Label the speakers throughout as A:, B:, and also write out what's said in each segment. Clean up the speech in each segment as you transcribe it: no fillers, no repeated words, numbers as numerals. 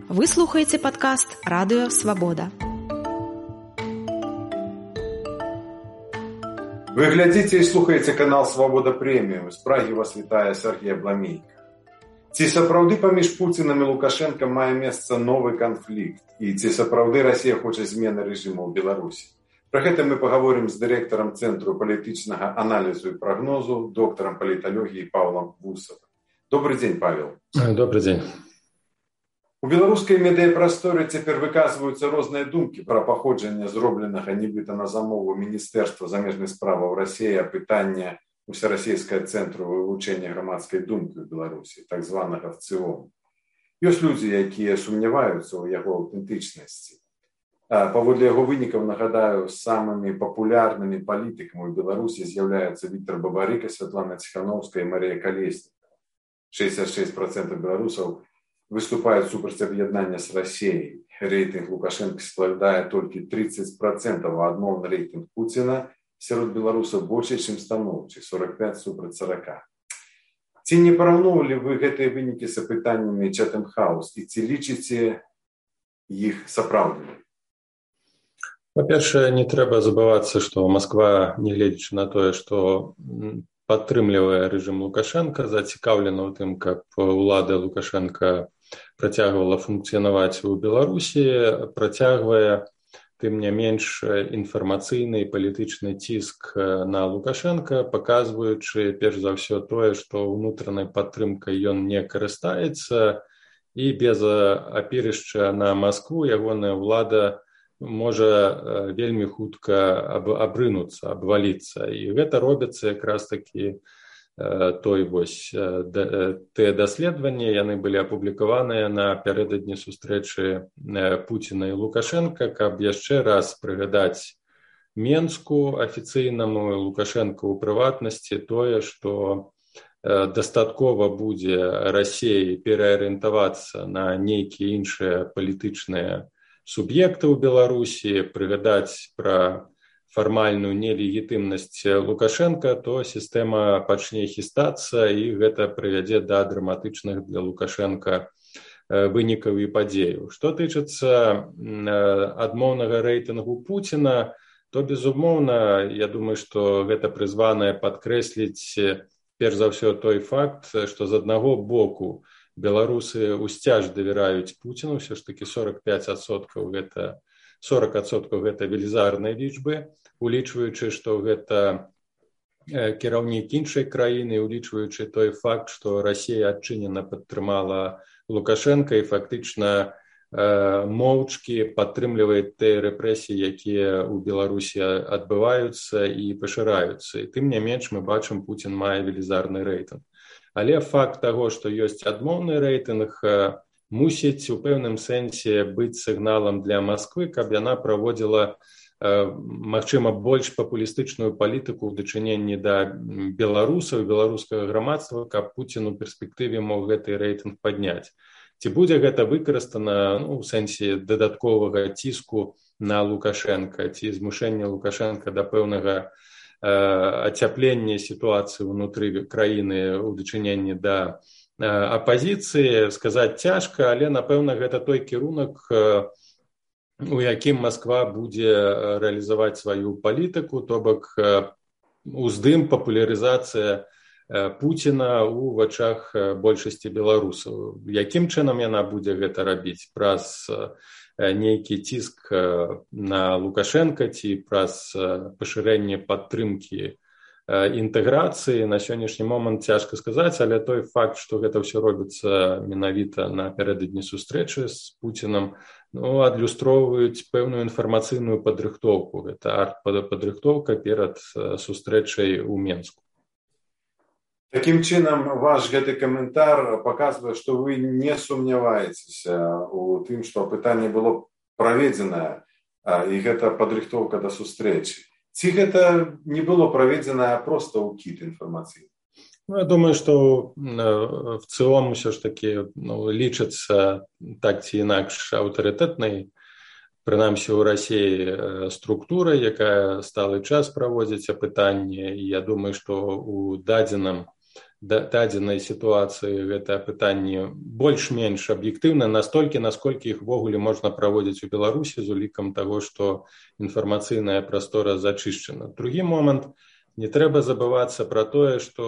A: Вы слухаеце падкаст «Радыё Свабода».
B: Вы глядзіце і слухаеце канал «Свабода Прэміум». З Прагі вас вітае Сергей Абламейка. Ці сапраўды паміж Пуцінам і Лукашэнкам мае месца новы канфлікт? І ці сапраўды Расія хоча змены рэжыму ў Беларусі? Пра гэта мы паговорым з дырэктарам Цэнтру палітычнага аналізу і прагнозу, доктарам паліталогіі Павлам Вусавым. Добрый дзень, Павел.
C: Добрый дзень.
B: У беларускай медыяпрасторы цяпер выказваюцца розныя думкі пра паходжанне зробленага нібыта на замову Міністэрства замежных справаў Расіі пытання Усерасійскага цэнтру вывучэння грамадскай думкі ў Беларусі, так званага ВЦИОМ. Ёсць людзі, якія сумняваюцца ў яго аўтэнтычнасці. Паводле яго вынікаў, нагадаю, самымі папулярнымі палітыкамі ў Беларусі з'яўляюцца Віктор Бабарыка, Святлана Ціхановская і Марія Калеснікова. 66% беларусаў выступаюць супраць аб'яднання з Расіяй. Рэйтынг Лукашэнка складае толькі 30%, а адмоўны рэйтынг Пуціна сярод беларусаў больш, чым станоўчы, 45 супраць 40. Ці не параўноўвалі вы гэтыя вынікі з апытаннямі Chatham House і ці лічыце іх сапраўднымі?
C: Па-першае, не трэба забывацца, што Масква, нягледзячы на тое, што падтрымлівае рэжым Лукашэнка, зацікаўлена ў тым, каб улада Лукашэнка працягвала функцыянаваць у Беларусі, працягвае, тым не менш, інфармацыйны і палітычны ціск на Лукашэнка, паказваючы, перш за ўсё, тое, што ўнутранай падтрымкай ён не карыстаецца, і без апірышча на Маскву ягоная ўлада можа вельмі хутка абрынуцца, абваліцца. І гэта робіцца якраз такі тыя даследаванні, яны былі апублікаваныя напярэдадні сустрэчы Пуціна і Лукашэнка, каб яшчэ раз прыгадаць Менску афіцыйнаму, Лукашэнка ў прыватнасці, тое, што дастаткова будзе Расіі пераарыентавацца на нейкія іншыя палітычныя суб'екты ў Беларусі, прыгадаць пра фармальную нелегітымнасць Лукашэнка, то сістэма пачне хістацца, і гэта прывядзе да драматычных для Лукашэнка вынікаў і падзеяў. Што тычыцца адмоўнага рэйтынгу Пуціна, то, безумоўна, я думаю, што гэта прызванае падкрэсліць, перш за ўсё, той факт, што з аднаго боку беларусы ўсцяж давяраюць Пуціну, ўсё ж такі 45% гэта 40% гэта велізарныя лічбы, улічваючы, што гэта кіраўнік іншай краіны, улічваючы той факт, што Расія адчынена падтрымала Лукашэнка і фактычна моўчкі падтрымлівае тыя рэпрэсіі, якія ў Беларусі адбываюцца і пашыраюцца. І тым не менш мы бачым, Пуцін мае велізарны рэйтынг. Але факт таго, што ёсць адмоўны рэйтынг, мусіць у пэўным сэнсе быць сігналам для Масквы, каб яна праводзіла, магчыма, больш папулістычную палітыку ў дачыненні да беларусаў, беларускага грамадства, каб Пуцін у перспектыве мог гэты рэйтынг падняць. Ці будзе гэта выкарыстана ў сэнсе дадатковага ціску на Лукашэнка, ці змушэння Лукашэнка да пэўнага ацяплення сітуацыі ўнутры краіны ў дачыненні да апазіцыі, сказаць цяжка, але, напэўна, гэта той кірунак, у якім Масква будзе рэалізаваць сваю палітыку, то бок уздым, папулярызацыя Пуціна ў вачах большасці беларусаў. Якім чынам яна будзе гэта рабіць? Праз нейкі ціск на Лукашэнка ці праз пашырэнне падтрымкі інтэграцыі, на сённяшні момант цяжка сказаць, але той факт, што гэта ўсё робіцца менавіта напярэдадні сустрэчы з Пуцінам, адлюстроўваюць пэўную інфармацыйную падрыхтоўку. Гэта арт-падрыхтоўка перад сустрэчай у Менску.
B: Такім чынам, ваш гэты каментар паказвае, што вы не сумняваецеся у тым, што пытанне было праведзенае, і гэта падрыхтоўка да сустрэчы. Ці гэта не было праведзена проста ўкід інфармацыі?
C: Я думаю, што в цэлым усё ж такі лічыцца так ці інакш аўтарытэтнай, прынамсі ў Расіі, структура, якая сталы час праводзіць апытанне. І я думаю, што у дадзеным дадзенай сітуацыі гэта пытанне больш-менш аб'ектыўна, настолькі, насколькі іх увогуле можна праводзіць у Беларусі з улікам таго, што інфармацыйная прастора зачышчана. Другі момант, не трэба забывацца пра тое, што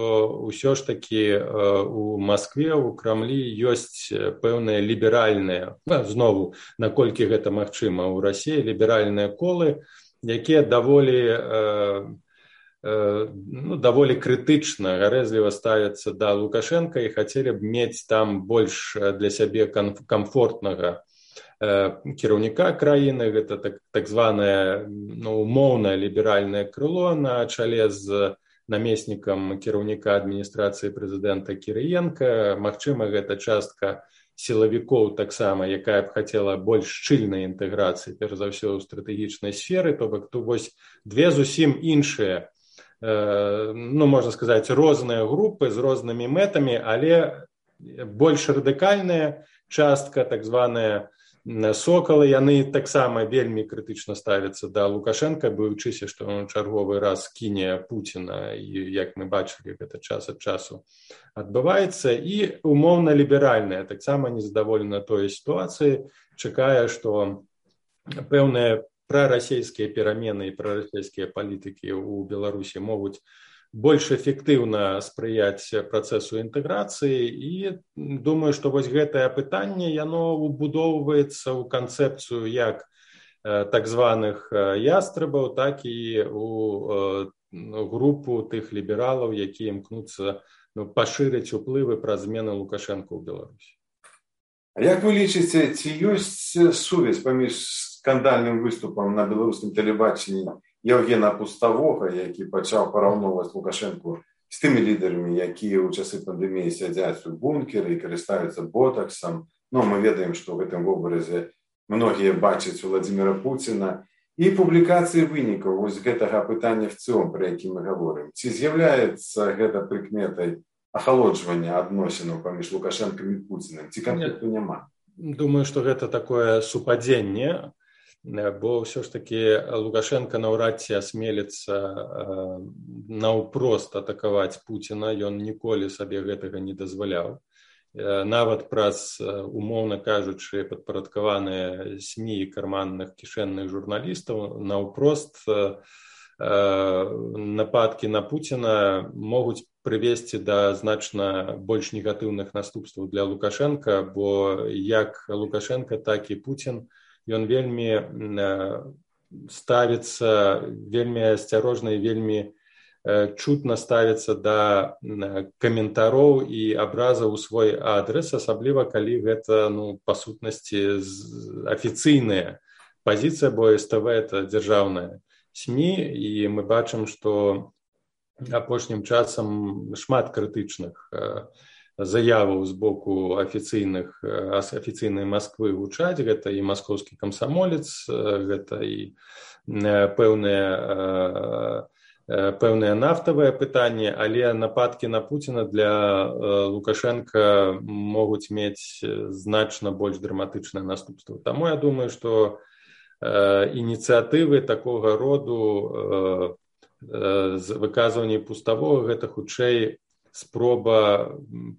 C: ўсё ж такі у Маскве, у Крамлі ёсць пэўныя ліберальныя, знову, наколькі гэта магчыма ў Расіі, ліберальныя колы, якія даволі крытычна, гарэзліва ставяцца да Лукашенка і хацелі б мець там больш для сябе камфортнага кіраўніка краіны. Гэта так званае умоўнае ліберальнае крыло на чале з намеснікам кіраўніка адміністрацыі прэзідэнта Кірыенка. Магчыма, гэта частка сілавікоў таксама, якая б хацела больш шчыльнай інтэграцыі, перш за ўсё ў стратэгічнай сферы, то бок тут вось две зусім іншыя, можна сказаць, розныя групы з рознымі мэтамі, але больш радыкальная частка, так званая сокалы, яны таксама вельмі крытычна ставяцца да Лукашенка, баючыся, што ён чарговы раз кіне Пуціна, і як мы бачылі, гэта час ад часу адбываецца, і умоўна ліберальная таксама незадаволена той сітуацыі, чакае, што пэўныя прарасійскія перамены і прарасійскія палітыкі ў Беларусі могуць больш эфектыўна спрыяць працэсу інтэграцыі, і думаю, што вось гэтае пытанне, яно убудоўваецца ў канцэпцыю як так званых ястрабаў, так і у групу тых лібералаў, якія імкнуцца пашырыць уплывы праз змены Лукашенка ў Беларусі.
B: А як вы лічыце, ці ёсць сувязь паміж скандальным выступам на беларускім тэлебачанні Евгена Пуставога, які пачаў параўноўваць Лукашенку з тымі лідарамі, якія ў часы пандэміі сядзяць у бункеры і карыстаюцца ботаксам? Мы ведаем, што ў гэтым вобразе многія бачаць Владзіміра Пуціна. І публікацыі вынікаў вось гэтага пытання в цэлым, пра які мы гаворым. Ці з'яўляецца гэта прыкметай ахалоджвання адносінаў паміж Лукашэнкам і Пуцінам? Ці канфлікту няма?
C: Думаю, што гэта такое супадзенне, бо ўсё ж такі Лукашенка наўрад ці асмеліцца наўпрост атакаваць Пуціна, ён ніколі сабе гэтага не дазваляў. Нават праз, умоўна кажучы, падпарадкаваныя СМІ і карманных кішэнных журналістаў наўпрост нападкі на Пуціна могуць прывесці да значна больш негатыўных наступстваў для Лукашенка, бо як Лукашенка, так і Пуцін, ён вельмі ставіцца, вельмі асцярожна і вельмі чутна ставіцца да каментароў і абразаў у свой адрес, асабліва калі гэта, па сутнасці, афіцыйная пазіцыя, бо СТВ это дзяржаўная СМІ, і мы бачым, што апошнім часам шмат крытычных заяваў з боку афіцыйнай Масквы гучаць. Гэта і маскоўскі камсамолец, гэта і пэўныя нафтавыя пытанні, але нападкі на Пуціна для Лукашенка могуць мець значна больш драматычныя наступствы. Таму я думаю, што ініцыятывы такога роду з выказваннем Пуставога гэта хутчэй спроба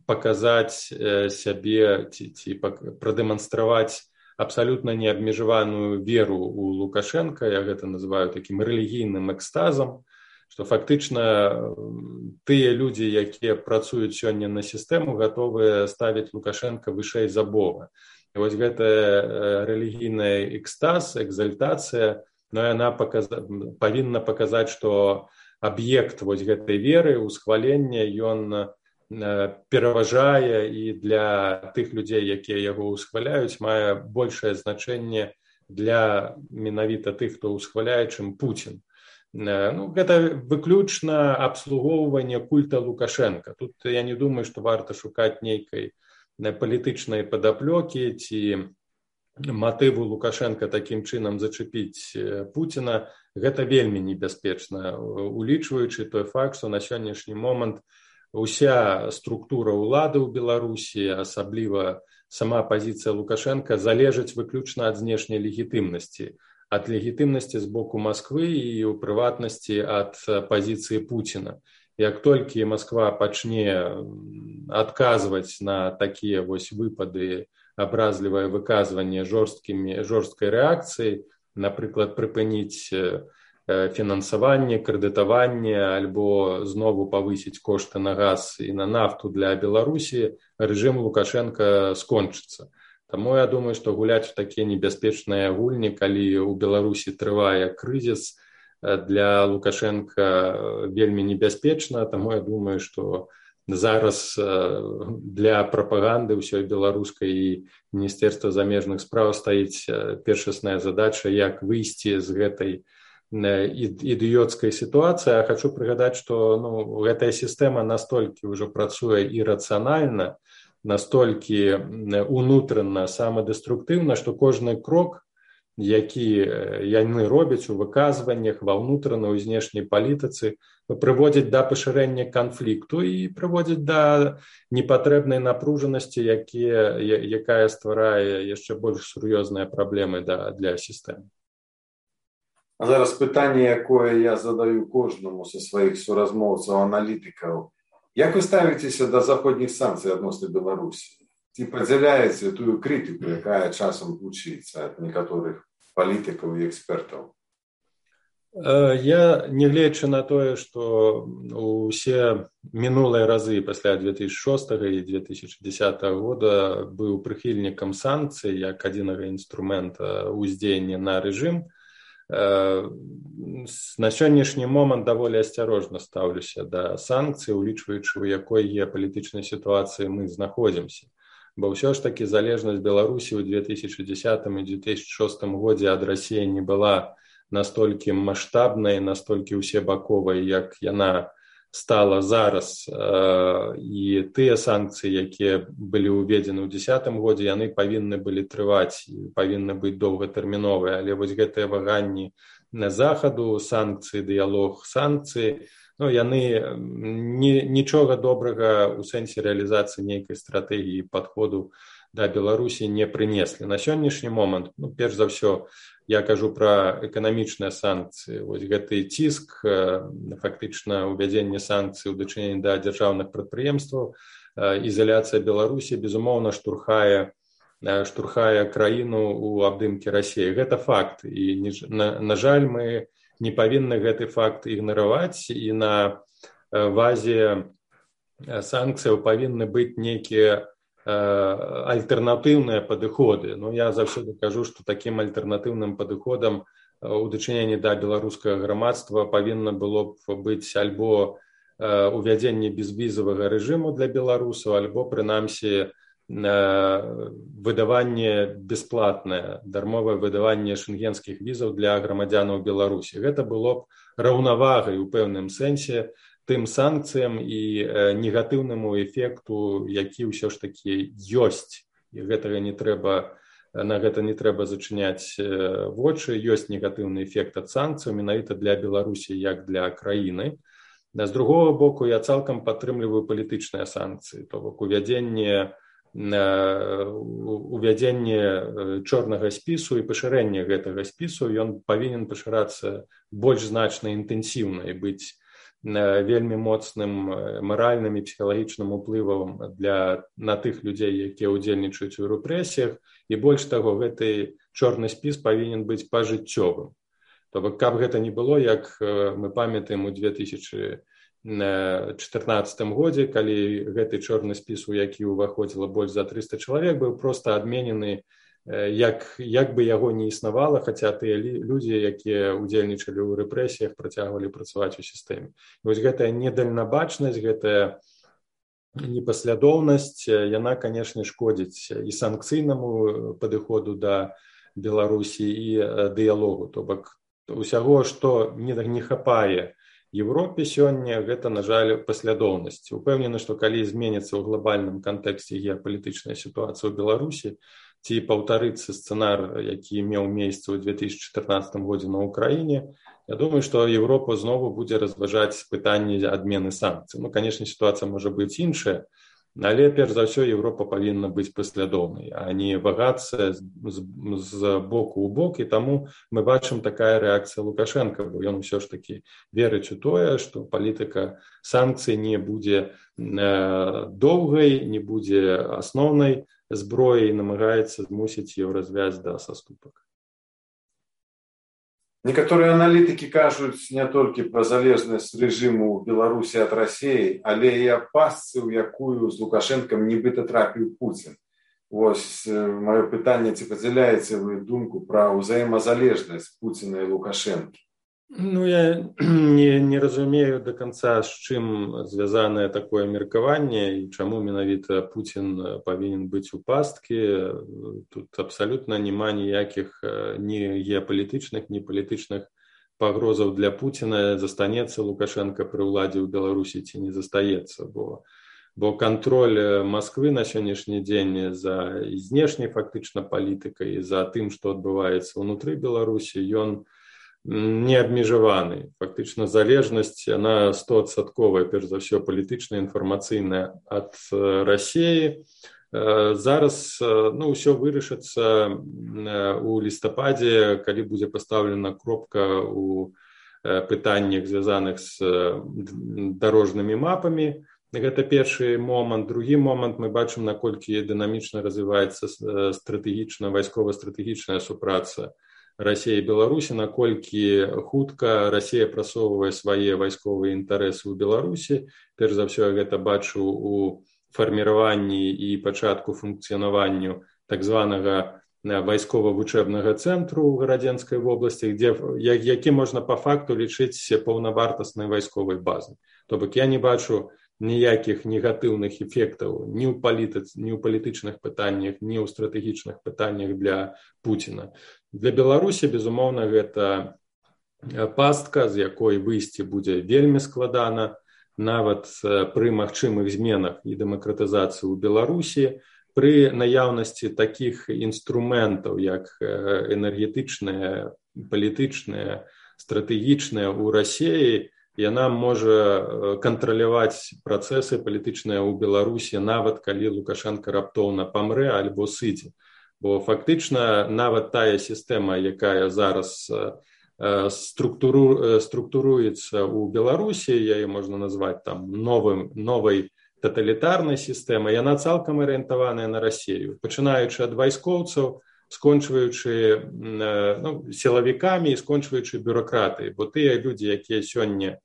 C: паказаць сябе ці прадэманстраваць абсалютна неабмежаваную веру ў Лукашенка. Я гэта называю такім рэлігійным экстазам, што фактычна тыя людзі, якія працуюць сёння на сістэму, гатовыя ставіць Лукашенка вышэй за Бога. І вось гэта рэлігійная экстаз, экзальтацыя, яна павінна паказаць, што аб'ект вось гэтай веры, усхвалення, ён пераважае, і для тых людзей, якія яго ўсхваляюць, мае большае значэнне для менавіта тых, хто ўсхваляе, чым Пуцін. Гэта выключна абслугоўванне культа Лукашенка. Тут я не думаю, што варта шукаць нейкай палітычнай падаплёкі ці матыву Лукашенка такім чынам зачапіць Пуціна. Гэта вельмі небяспечна, улічваючы той факт, што на сённяшні момант уся структура ўлады ў Беларусі, асабліва сама пазіцыя Лукашенка, залежыць выключна ад знешняй легітымнасці. Ад легітымнасці з боку Масквы і ў прыватнасці ад пазіцыі Пуціна. Як толькі Москва пачне адказваць на такія вось выпады, абразлівае выказванне жорсткай рэакцыі, напрыклад, прыпыніць фінансаванне, крэдытаванне альбо знову павысіць кошты на газ і на нафту для Беларусі, рэжым Лукашенка скончыцца. Таму я думаю, што гуляць у такія небяспечныя гульні, калі ў Беларусі трывае крызіс, для Лукашенка вельмі небяспечна, таму я думаю, што зараз для прапаганды ўсёй беларускай і Міністэрства замежных спраў стаіць першасная задача, як выйсці з гэтай ідыёцкай сітуацыі. Я хочу прыгадаць, што гэтая сістэма настолькі ўжо працуе ірацыянальна, настолькі унутрана самадэструктыўна, што кожны крок, які яны робяць у выказваннях, ва ўнутранай і знешняй палітыцы, прыводзяць да пашырэння канфлікту і прыводзяць да непатрэбнай напружанасці, якая стварае яшчэ больш сур'ёзныя праблемы для сістэмы.
B: А зараз пытанне, якое я задаю кожнаму са сваіх суразмоўцаў-аналітыкаў. Як вы ставіцеся да заходніх санкцый адносна Беларусі? Ці падзяляеце тую крытыку, якая часам гучыцца ад некаторых палітыкаў і экспертаў?
C: Я, нягледзячы на тое, што ўсе мінулыя разы пасля 2006 і 2010 года быў прыхільнікам санкцый як адзінага інструмента ўздзеяння на рэжым, на сённяшні момант даволі асцярожна стаўлюся да санкцый, улічваючы, у якой геапалітычнай сітуацыі мы знаходзімся. Бо ўсё ж такі залежнасць Беларусі ў 2010 і 2006 годзе ад Расіі не была настолькі маштабнай, настолькі ўсебаковай, як яна стала зараз. І тыя санкцыі, якія былі ўведзены ў 2010 годзе, яны павінны былі трываць, павінны быць доўгатэрміновыя. Але вось гэтыя ваганні захаду, санкцыі, дыялог санкцыі, яны нічога добрага ў сэнсе рэалізацыі нейкай стратэгіі падходу да Беларусі не прынеслі. На сённяшні момант, перш за ўсё, я кажу пра эканамічныя санкцыі. Вось гэты ціск, фактычна ўвядзенне санкцый у дачыненні да дзяржаўных прадпрыемстваў, ізаляцыя Беларусі, безумоўна, штурхае краіну ў абдымкі Расіі. Гэта факт. І, на жаль, мы не павінны гэты факт ігнараваць, і на базе санкцыяў павінны быць нейкія альтэрнатыўныя падыходы. Я заўсёды кажу, што такім альтэрнатыўным падыходам у дачыненні да беларускага грамадства павінна было б быць альбо увядзенне безвізавага рэжыму для беларусаў, альбо, прынамсі, выдаванне бясплатнае, дармовае выдаванне шэнгенскіх візаў для грамадзянаў Беларусі. Гэта было б раўнавагай у пэўным сэнсе тым санкцыям і негатыўнаму эфекту, які ўсё ж такі ёсць. І на гэта не трэба зачыняць вочы. Ёсць негатыўны эфект ад санкцыяў менавіта для Беларусі як для краіны. З другога боку, я цалкам падтрымліваю палітычныя санкцыі, то бок увядзенне чорнага спісу і пашырэнне гэтага спісу, ён павінен пашырацца больш значна інтэнсіўна і быць вельмі моцным маральным і псіхалагічным уплывам на тых людзей, якія ўдзельнічаюць у рэпрэсіях. І больш таго, гэты чорны спіс павінен быць пажыццёвым. То бок, каб гэта не было, як мы памятаем у 2014 годзе, калі гэты чорны спіс, у які ўваходзіла больш за 300 чалавек, быў проста адменены, як бы яго не існавала, хаця тыя людзі, якія ўдзельнічалі ў рэпрэсіях, працягвалі працаваць у сістэме. І вось гэтая недальнабачнасць, гэтая непаслядоўнасць, яна, канешне, шкодзіць і санкцыйнаму падыходу да Беларусі, і дыялогу. То бок, усяго, што не хапае Европе сёння, гэта, на жаль, паслядоўнасць. Упэўнены, што калі зменіцца ў глобальным кантэксце геапалітычная сітуацыя ў Беларусі, ці паўтарыцца сцэнар, які меў месца ў 2014 годзе на Ўкраіне, я думаю, што Европа знову будзе разважаць пытанне адмены санкцый. Канешне, сітуацыя можа быць іншая, Але перш за ўсё Еўропа павінна быць паслядоўнай, а не вагацца з боку ў бок, і таму мы бачым такая рэакцыя Лукашенка, бо ён усё ж такі верыць у тое, што палітыка санкцый не будзе доўгай, не будзе асноўнай зброяй, намагаецца змусіць еўразвязь да саступак.
B: Некаторыя аналітыкі кажуць не толькі пра залежнасць рэжыму Беларусі ад Расіі, але і аб пастцы, у якую з Лукашэнкам нібыта трапіў Пуцін. Вось маё пытанне, ці падзяляеце вы думку пра ўзаемазалежнасць Пуціна і Лукашэнкі?
C: Ну, я не разумею до конца, з чым звязанае такое меркаванне і чаму менавіта Пуцін павінен быць у пасткі. Тут абсалютна няма ніякіх ні геапалітычных, ні палітычных пагрозаў для Пуціна. Застанецца Лукашенко пры ўладзе ў Беларусі ці не застаецца, бо кантроль Масквы на сённяшні дзень за знешняй фактычна палітыкай, за тым, што адбываецца ўнутры Беларусі, ён не абмежаваны. Фактычна залежнасць, яна 100%, перш за ўсё, палітычная, інфармацыйная ад Расіі. Зараз ўсё вырашыцца у лістападзе, калі будзе пастаўлена кропка ў пытаннях, звязаных з дарожнымі мапамі. Гэта першы момант. Другі момант, мы бачым, наколькі дынамічна развіваецца стратэгічна, вайскова-стратэгічная супраца Расіі і Беларусі, наколькі хутка Расія прасоўвае свае вайсковыя інтарэсы ў Беларусі. Перш за ўсё, я гэта бачу у фарміраванні і пачатку функцыянаванню так званага вайскова-вучэбнага цэнтру ў Гарадзенскай вобласці, які можна па факту лічыць паўнавартаснай вайсковай базай. То бок я не бачу ніякіх негатыўных эфектаў ні ў палітычных пытаннях, ні ў стратэгічных пытаннях для Пуціна. Для Беларусі, безумоўна, гэта пастка, з якой выйсці будзе вельмі складана, нават пры магчымых зменах і дэмакратызацыі ў Беларусі, пры наяўнасці такіх інструментаў, як энергетычныя, палітычныя, стратэгічныя ў Расіі, яна можа кантраляваць працэсы палітычныя ў Беларусі, нават калі Лукашенко раптоўна памрэ альбо сыдзе. Бо фактычна нават тая сістэма, якая зараз структуруецца ў Беларусі, яе можна назваць там новай таталітарнай сістэмай, яна цалкам арыентаваная на Расію, пачынаючы ад вайскоўцаў, скончваючы сілавікамі і скончваючы бюракратыяй, бо тыя людзі, якія сёння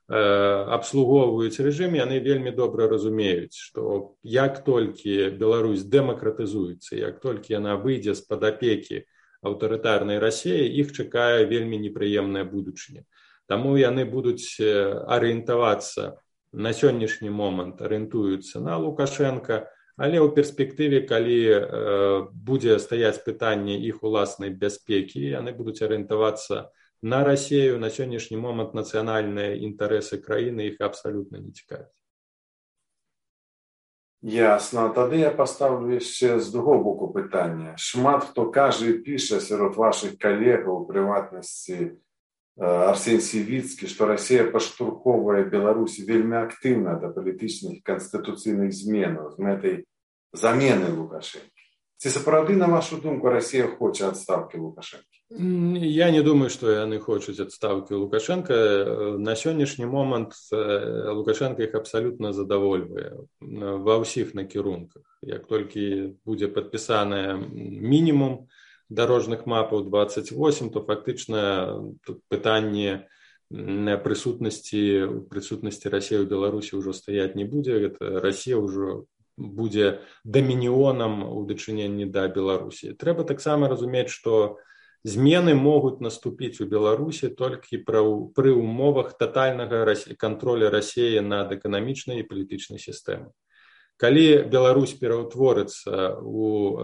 C: абслугоўваюць рэжым, яны вельмі добра разумеюць, што як толькі Беларусь дэмакратызуецца, як толькі яна выйдзе з-пад апекі аўтарытарнай Расіі, іх чакае вельмі непрыемная будучыня. Таму яны будуць арыентавацца на сённяшні момант, арыентуюцца на Лукашенка, але ў перспектыве, калі будзе стаяць пытанне іх уласнай бяспекі, яны будуць арыентавацца на Расію. На сённяшні момант нацыянальныя інтарэсы краіны іх абсалютна не цікавяць.
B: Ясна. Тады я паставлю яшчэ з другого боку пытання. Шмат хто кажа і піша сярод вашых калегаў, у прыватнасці Арсен Сівіцкі, што Расія паштурхоўвае Беларусі вельмі актыўна да палітычных канстытуцыйных зменаў з мэтай замены Лукашэнкі. Ці сапраўды, на вашу думку, Расія хоча адстаўкі Лукашэнкі?
C: Я не думаю, што яны хочуць адстаўкі Лукашенка. На сённяшні момант Лукашенко іх абсалютна задавольвае ва ўсіх накірунках. Як толькі будзе падпісаная мінімум дарожных мапаў 28, то фактычна тут пытанне прысутнасці Расіі ў Беларусі ўжо стаяць не будзе. Гэта Расія ўжо будзе дамініонам у дачыненні да Беларусі. Трэба таксама разумець, што змены могуць наступіць у Беларусі толькі пры умовах татальнага кантроля Расіі над эканамічнай і палітычнай сістэмай. Калі Беларусь пераўтворыцца у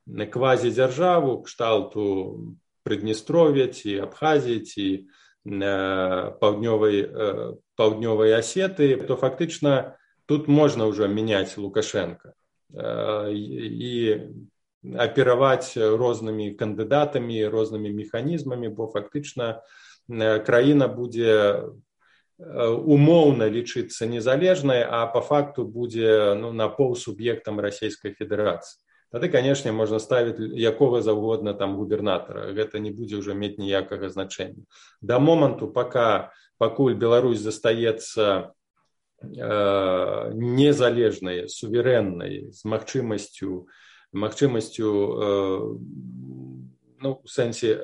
C: квазідзяржаву кшталту Прыднестров'я ці Абхазіі ці паўднёвай Асеты, то фактычна тут можна ўжо мяняць Лукашенка і апераваць рознымі кандыдатамі, рознымі механізмамі, бо фактычна краіна будзе умоўна лічыцца незалежнай, а па факту будзе напаўсуб'ектам Расійскай Федэрацыі. Тады, канешне, можна ставіць якога заўгодна там губернатара. Гэта не будзе ўжо мець ніякага значэння. Да моманту, пакуль Беларусь застаецца незалежнай, суверэннай, з магчымасцю у сэнсе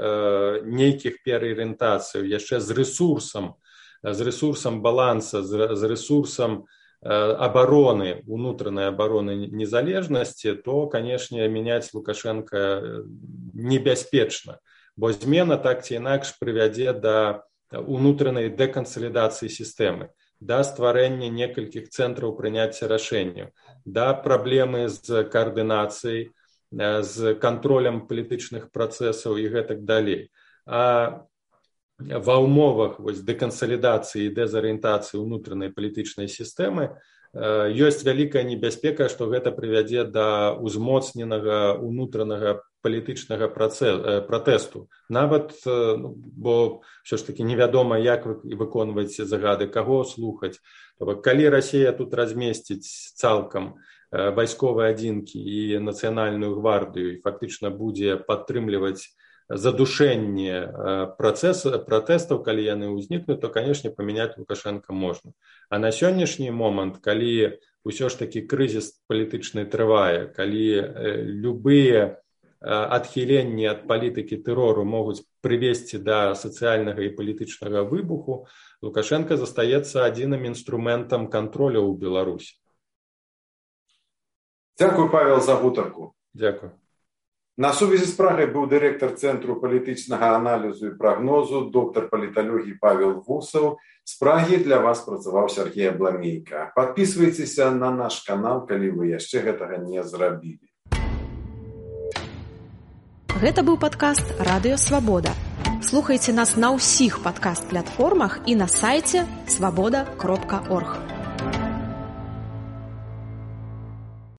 C: нейкіх пераарыентацыяў, яшчэ з рэсурсам баланса, з рэсурсам обороны, унутранной обороны незалежности, то, конечно, менять Лукашенко небяспечна, бо змена так ці інакш прывядзе да унутранай дэкансалідацыі сістэмы, да стварэння некалькіх цэнтраў прыняцця рашэнняў, да праблемы з каардынацыяй, з кантролем палітычных працэсаў і гэтак далей. А ва ўмовах дэкансалідацыі і дэзарыентацыі ўнутранай палітычнай сістэмы ёсць вялікая небяспека, што гэта прывядзе да ўзмоцненага ўнутранага палітычнага пратэсту. Нават, бо ўсё ж такі невядома, як выконваць загады, каго слухаць. Калі Расія тут размесціць цалкам вайсковыя адзінкі і нацыянальную гвардыю і фактычна будзе падтрымліваць задушэнне пратэстаў, калі яны ўзнікнуць, то, канешне, памяняць Лукашенка можна. А на сённяшні момант, калі ўсё ж такі крызіс палітычны трывае, калі любыя адхіленні ад палітыкі тэрору могуць прывесці да сацыяльнага і палітычнага выбуху, Лукашенко застаецца адзіным інструментам кантролю ў Беларусі.
B: Дзякуй, Павел, за гутарку.
C: Дзякуй.
B: На сувязі з Прагай быў дырэктар Цэнтру палітычнага аналізу і прагнозу, доктар паліталогіі Павел Вусаў. З Прагі для вас працаваў Сергей Абламейка. Падпісвайцеся на наш канал, калі вы яшчэ гэтага не зрабілі.
A: Гэта быў падкаст «Радыё Свабода». Слухайце нас на ўсіх падкаст-платформах і на сайце swaboda.org.